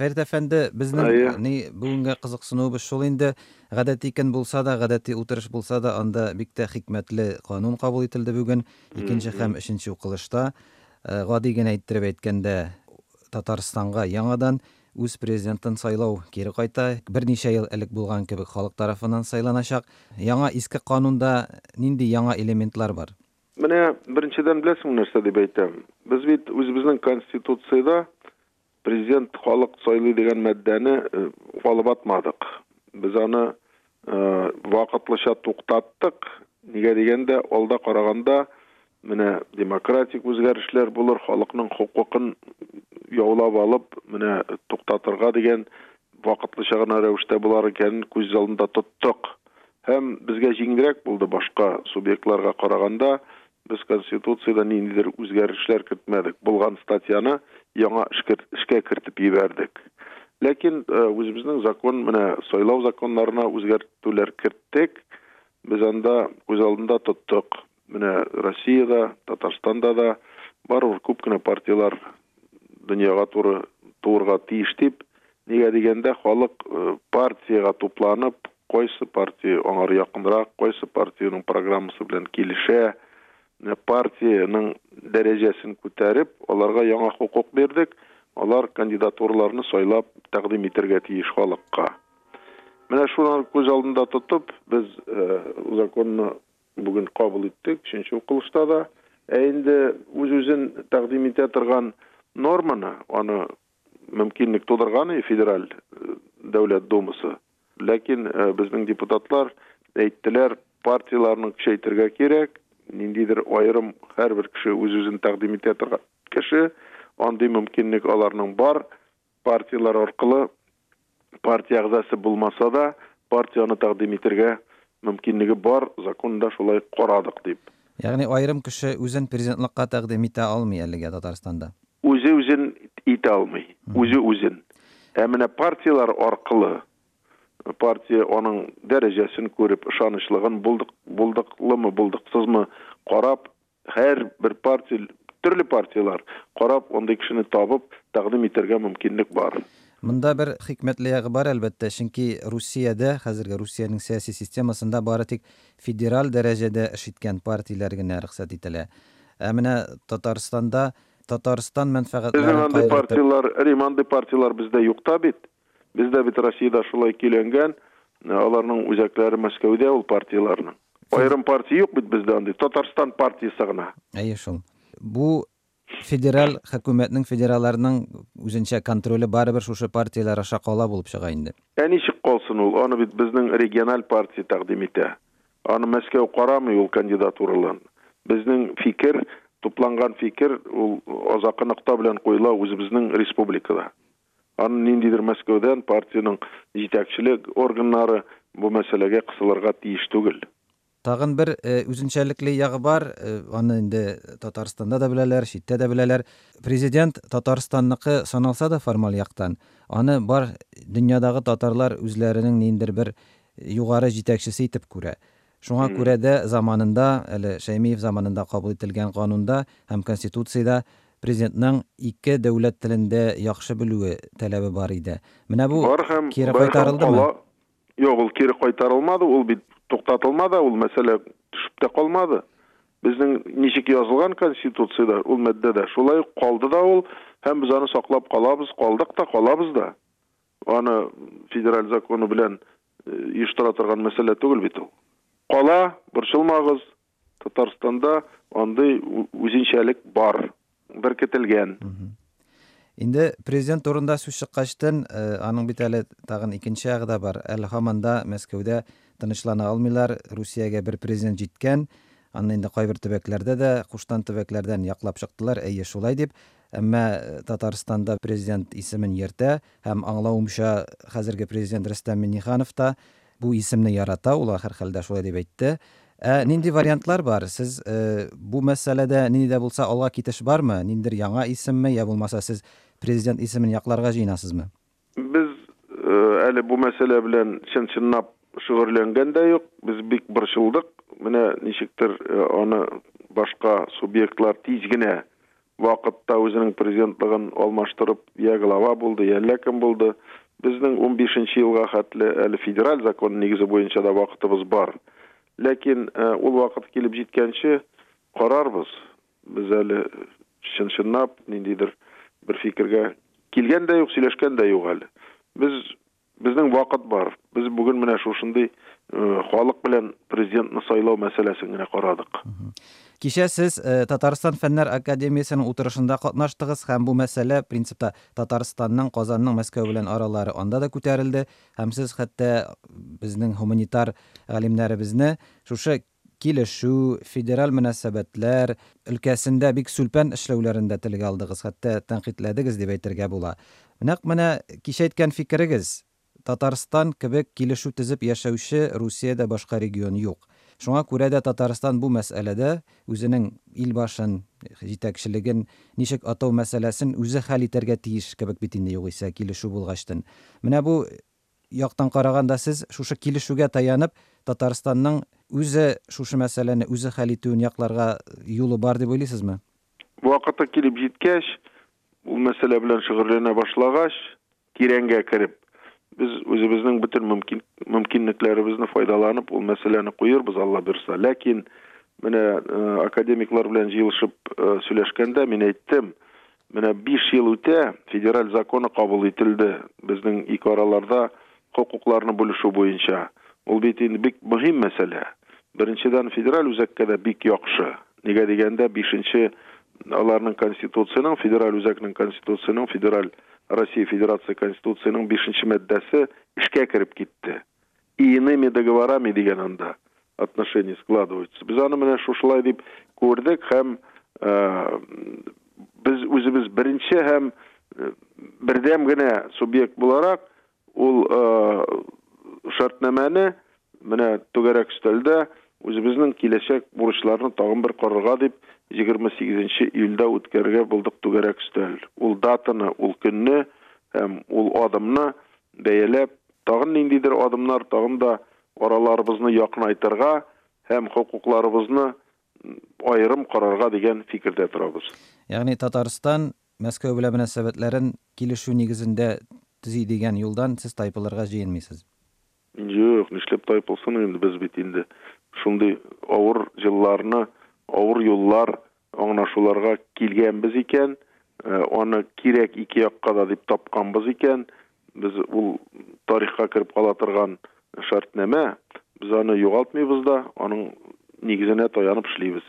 Фәрит әфәнде, безнең Әйе. ни бүгенге кызыксынуыбыз шул инде, гадәти көн булса да, гадәти утырыш булса да, анда бик тә хикмәтле канун кабул ителде бүген, икенче һәм өченче укылышта. Гади генә иттереп әйткәндә, Татарстанга яңадан үз президентын сайлау кире кайта. Берничә ел элек булган кебек халык тарафыннан сайланачак. Яңа иске канунда нинди яңа элементлар бар? Менә беренчедән беләсеңме нәрсә дип әйтәм? Без бит үзебезнең Конституциядә президент халык сайлый дигән маддәне алып атмадык. Без аны вакытлыча туктаттык. Нигә дигәндә, алда караганда менә демократик үзгәрешләр булыр, халыкның хокукын яулап алып, менә туктатырга дигән вакытлыча гына рәвештә булар икәнен күз алдында тоттык. Һәм безгә җиңелрәк булды башка субъектларга караганда, без Конституциядә ниндидер үзгәрешләр кертмәдек, булган статьяны яңа эшкә кертеп җибәрдек. Ләкин үзебезнең закон, менә сайлау законнарына үзгәртүләр керттек. Без анда күз алдында тоттык. Менә Россиядә, Татарстанда да барыбер күп кенә партияләр дөньяга туры туырга тиеш дип, нигә дигәндә халык партиягә тупланып, кайсы партия аңар якынрак, кайсы партиянең программасы белән килешә, менә партиянең дәрәҗәсен күтәреп, аларга яңа хокук бирдек, алар кандидатураларны сайлап тәкъдим итәргә тиеш халыкка. Менә шуны күз алдында тотып, без законны бүген кабул иттек, өченче укылышта да. Ә инде үз-үзен тәкъдим итә торган норманы, аны мөмкинлек тудырган и Федераль Дәүләт Думасы. Ләкин безнең депутатлар әйттеләр, партияләрне көчәйтергә кирәк, ниндидер аерым һәрбер кеше үз-үзен тәкъдим итә торган кеше, андый мөмкинлек аларның бар, партияләр аркылы партия әгъзасы булмаса да, партияне тәкъдим итергә мөмкинлеге бар, законда шулай карадык дип. Ягъни аерым кеше үзен президентлыкка тәкъдим итә алмый әлегә Татарстанда? Үзе үзен итә алмый, үзе үзен. Ә менә партияләр аркылы, партия аның дәрәҗәсен күреп, ышанычлыгын, булдык, булдыклымы, булдыксызмы карап, һәр бер партия, төрле партияләр карап, андый кешене табып, тәкъдим итәргә мөмкинлек бар. Монда бер хикмәтле ягы бар, әлбәттә, чөнки Русиядә, хәзерге Русиянең сәяси системасында бары тик федераль дәрәҗәдә эш иткән партияләр генә рөхсәт ителә. Ә менә Татарстанда Татарстан мәнфәгатьләрен Безнең андый кайгыртып партияләр, Рим, андый партияләр бездә юк та бит. Бездә бит Россиядә шулай көйләнгән, аларның үзәкләре Мәскәүдә ул партияләрнең. Аерым партия юк бит бездә андый, Татарстан партиясе гына. Әйе шул. Бу федераль хөкүмәтнең, федералларның үзенчә контроле барыбер шушы партияләр аша кала булып чыга инде. Ә ничек калсын ул? Аны бит безнең региональ партия тәкъдим итә. Аны Мәскәү карамый ул кандидатураларын. Безнең фикер, тупланган фикер, ул азакы нокта белән куела үзебезнең республикада. Аны ниндидер Мәскәүдән партиянең җитәкчелек органнары бу мәсьәләгә кысылырга тиеш түгел. Тагын бер үзенчәлекле ягы бар, аны инде Татарстанда да беләләр, читтә дә беләләр. Президент Татарстанныкы саналса да формаль яктан, аны бар дөньядагы татарлар үзләренең ниндидер бер югары җитәкчесе итеп күрә. Шуңа күрә дә заманында, әле Шәймиев заманында кабул ителгән канунда һәм Конституциядә президентның ике дәүләт телендә яхшы белүе таләбе бар иде. Менә бу Бар һәм кире бар һәм кайтарылдымы? кала. Юк, ул кире кайтарылмады, ул бит туктатылмады, ул мәсьәлә төшеп тә калмады. Безнең ничек язылган Конституциядә, ул маддәдә, шулай ук калды да ул, һәм без аны саклап калабыз, калдык та, калабыз да. Аны федераль законы белән оештыра торган мәсьәлә түгел бит ул. Кала, борчылмагыз, Татарстанда андый үзенчәлек бар, беркетелгән. Инде президент турында сүз чыккачтын, аның бит әле тагын икенче ягы да бар. Әле һаман да Мәскәүдә тынычлана алмыйлар, Русиягә бер президент җиткән. Аны инде кайбер төбәкләрдә дә, куштан төбәкләрдән яклап чыктылар, әйе шулай дип. Әмма Татарстанда президент исемен йөртә һәм аңлавымча, хәзерге президент Рөстәм Миңнеханов та бу исемне ярата, ул һәрхәлдә шулай дип әйтте. Ә нинди вариантлар бар? Сез бу мәсьәләдә нинди дә булса алга китеш бармы? Ниндидер яңа исемме, я булмаса сез президент исемен якларга җыенасызмы? Без әле бу мәсьәлә белән чын-чынлап шөгыльләнгән дә юк. Без бик борчылдык. Менә ничектер аны башка субъектлар тиз генә вакытта үзенең президентлыгын алмаштырып, я глава булды, я әллә кем булды. Безнең 15 елга хәтле әле федераль закон нигезе буенча да вакытыбыз бар. Ләкин ул вакыт килеп җиткәнче карарбыз. Без әле чын-чынлап ниндидер бер фикергә килгән дә юк, сөйләшкән дә юк әле. Без безнең вакыт бар. Без бүген менә шушындый халык белән президентны сайлау мәсьәләсен генә карадык. Кичә сез Татарстан Фәннәр академиясенең утырышында катнаштыгыз һәм бу мәсьәлә принципта Татарстанның, Казанның Мәскәү белән аралары анда да күтәрелде һәм сез хәтта безнең һуманитар галимнәребезне шушы килешү, федераль мөнәсәбәтләр өлкәсендә бик сүлпән эшләүләрен дә телгә алдыгыз, хәтта тәнкыйтьләдегез дип әйтергә була. Нәкъ менә кичә әйткән фикерегез, Татарстан кебек килешү төзеп яшәүче Русиядә башка регион юк. Шуңа күрә дә Татарстан бу мәсьәләдә үзенең илбашын, җитәкчелеген ничек атау мәсьәләсен үзе хәл итәргә тиеш кебек бит инде югыйсә килешү булгачтын. Менә бу яктан караганда сез шушы килешүгә таянып Татарстанның үзе шушы мәсьәләне үзе хәл итүен якларга юлы бар дип уйлыйсызмы? Вакыты килеп җиткәч, ул мәсьәлә белән шөгыльләнә башлагач, тирәнгә кереп, без үзебезнең бөтен мөмкин мөмкинлекләребезне файдаланып, ул мәсьәләне куербыз, Алла бирса. Ләкин менә академиклар белән җыелышып сөйләшкәндә мин әйттем, менә 5 ел үтә, федераль законы кабул ителде безнең ике араларда хокукларны бүлешү буенча. Ул бит инде бик мөһим мәсьәлә. Беренчедән, федераль үзәккә дә бик яхшы. Нигә дигәндә, бишенче аларның конституциянең, федераль үзәкнең конституциянең, федераль Россия Федерация Конституциянең бишенче маддәсе эшкә кереп китте. И иными договорами дигән анда отношения складываются. Без аны менә шушылай дип күрдек һәм без үзебез беренче һәм бердәм генә субъект буларак ул шартнамәне менә түгәрәк өстәлдә үзебезнең киләчәк бурычларны тагын бер карарга дип 28 июльдә үткәрергә булдык түгәрәк өстәл. Ул датаны, ул көнне һәм ул адымны бәяләп, тагын ниндидер адымнар, тагын да араларыбызны якынайтырга һәм хокукларыбызны аерым карарга дигән фикердә торабыз. Ягъни Татарстан Мәскәү белән мөнәсәбәтләрен килешү нигезендә төзи дигән юлдан сез тайпылырга җыенмыйсыз? Юк, нишләп тайпылсын инде, без бит инде шундый авыр елларны, авыр юллар аңлашуларга килгәнбез икән, аны кирәк ике якка да дип тапканбыз икән, без ул тарихка кереп кала торган шартнамә, без аны югалтмыйбыз да, аның нигезенә таянып эшлибез.